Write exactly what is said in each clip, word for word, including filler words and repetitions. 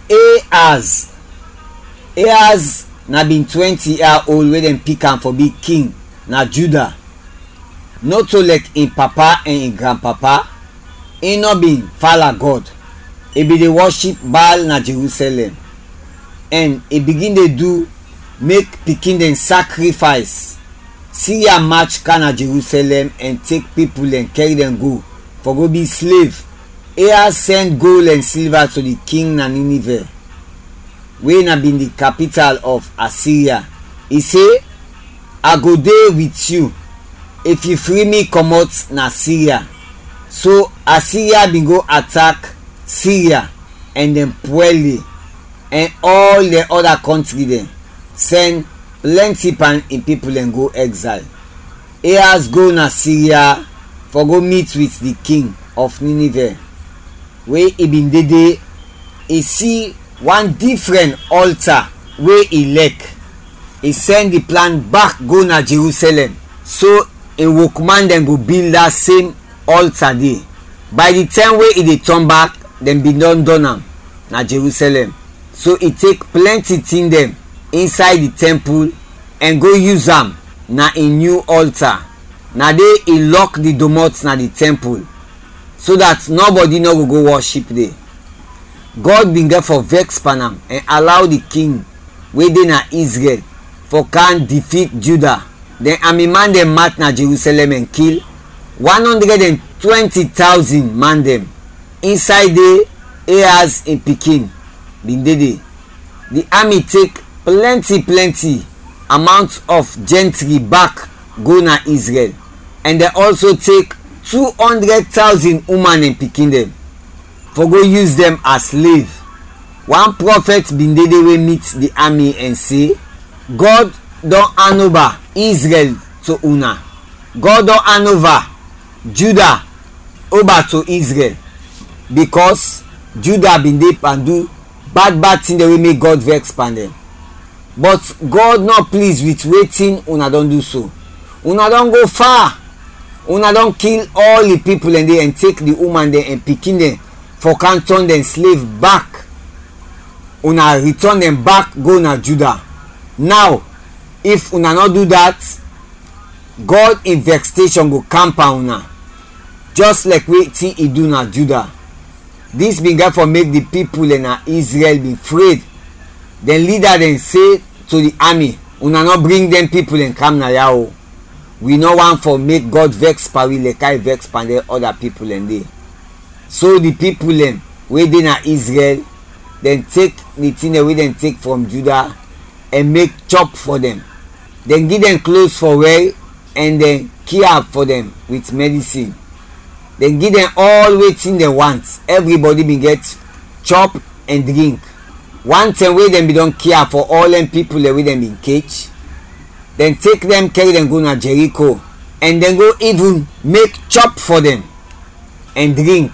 Ahaz. Ahaz na bin twenty yia old we dɛn pik am fɔ bi king na Juda. Nɔto lɛk in papa ɛn in granpapa, in nɔ bin fala Gɔd. I bin de wɔship Baal na Jerusɛlɛm, ɛn i bigin de du mek pikin dɛn sakrifays. Siria mach kam na Jerusɛlɛm ɛn tek pipul ɛn kɛr dɛn go fɔ go bi slev. Ahaz sɛn gol ɛn silva to di king na Ninivɛ, we na bin di kapital of Asiria. I se, "A go de wit yu, if yu fri mi kɔmɔt na Siria." So Asiria bin go atak Siria ɛn dɛn pwɛl i, ɛn ɔl dɛn ɔda kɔntri dɛn sɛn plɛnti pan in pipul dɛn go ɛgzayl. Ahaz go na Siria fɔ go mit wit di king of Ninivɛ. We i bin de de, i si wan difrɛn ɔlta we i lɛk. I sɛn di plan bak go na Jerusɛlɛm, so in wokman dɛn go bil da sem ɔlta de. Bay di tɛm we i de tɔn bak, dɛn bin dɔn dɔn am na Jerusɛlɛm. So i tek plɛnti tin dɛn insay di tɛmpul ɛn go yus am na in nyu ɔlta. Na de i lɔk di domɔt na di tɛmpul, so dat nɔbɔdi nɔ go go wɔship de. Gɔd bin gɛt fɔ vɛks pan am ɛn alaw di king we de na Izrɛl fɔ kam difit Juda. Dɛn ami man dɛn mat na Jerusɛlɛm ɛn kil wan ɔndrɛd ɛn twɛnti tawzin man dɛn. Insay de, Ahaz in pikin bin de de. Di ami tek plɛnti plɛnti amawnt of jɛntri bak go na Izrɛl, ɛn dɛn ɔlso tek tu ɔndrɛd tawzin uman ɛn pikin dɛn fɔ go yus dɛn as slev. Wan prɔfɛt bin de de we mit di ami ɛn se, "Gɔd dɔn anova Izrɛl to una. Gɔd dɔn anova Juda oba to Izrɛl, bikɔs Juda bin de pan du bad bad tin dɛn we mek Gɔd vɛks pan dɛn. Bɔt Gɔd nɔ pliz wit wetin una dɔn du so. Una dɔn go fa. Una dɔn kil ɔl di pipul dɛn de ɛn tek di uman dɛn ɛn pikin dɛn fɔ kam tɔn dɛn slev bak. Una ritɔn dɛn bak go na Juda. Naw, if una nɔ du dat, Gɔd in vɛksteshɔn go kam pan una, jɛs lɛk wetin i du na Juda." Dis bin gɛt fɔ mek di pipul dɛn na Izrɛl bin fred. Dɛn lida dɛn se to di ami, "Una nɔ bring dɛn pipul dɛn kam na ya o. Wi nɔ want fɔ mek Gɔd vɛks pan wi lɛk a i vɛks pan dɛn ɔda pipul dɛn de." So di pipul dɛn we de na Izrɛl, dɛn tek di tin dɛn we dɛn tek frɔm Juda ɛn mek chɔp fɔ dɛn. Dɛn gi dɛn klos fɔ wɛr ɛn dɛn kia fɔ dɛn wit mɛdisin. Dɛn gi dɛn ɔl wetin dɛn want. Ɛvribɔdi bin gɛt chɔp ɛn drink. Wan tɛm we dɛn bin dɔn kia fɔ ɔl dɛn pipul dɛn we dɛn bin kech, dɛn tek dɛn kɛr dɛn go na Jɛriko, ɛn dɛn go ivin mek chɔp fɔ dɛn ɛn drink.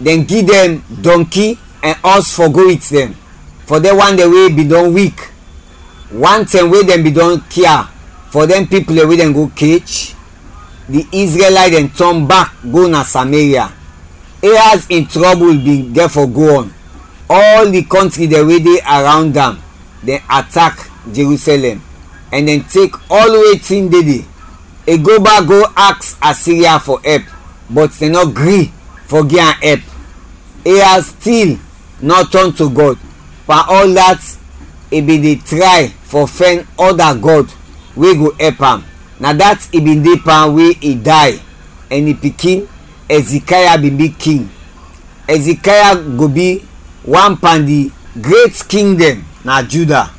Dɛn gi dɛn dɔnki ɛn ɔs fɔ go wit dɛn, fɔ dɛn wan dɛn we bin dɔn wik. Wan tɛm we dɛn bin dɔn kia fɔ dɛn pipul dɛn we dɛn go kech, di Izrɛlayt dɛn tɔn bak go na Sameria. Ahaz in trɔbul bin gɛt fɔ go ɔn. Ɔl di kɔntri dɛn we de arawnd am, dɛn atak Jerusɛlɛm ɛn dɛn tek ɔl wetin de de. I go bak go aks Asiria fɔ ɛp, bɔt dɛn nɔ gri fɔ gi am ɛp. Ahaz stil nɔ tɔn to Gɔd. Pan ɔl dat, i bin de tray fɔ fɛn ɔda gɔd we go ɛp am. Na dat i bin de pan we i day, ɛn in pikin Ɛzikaya bin bi king. Ɛzikaya go bi wan pan di gret king dɛn na Juda.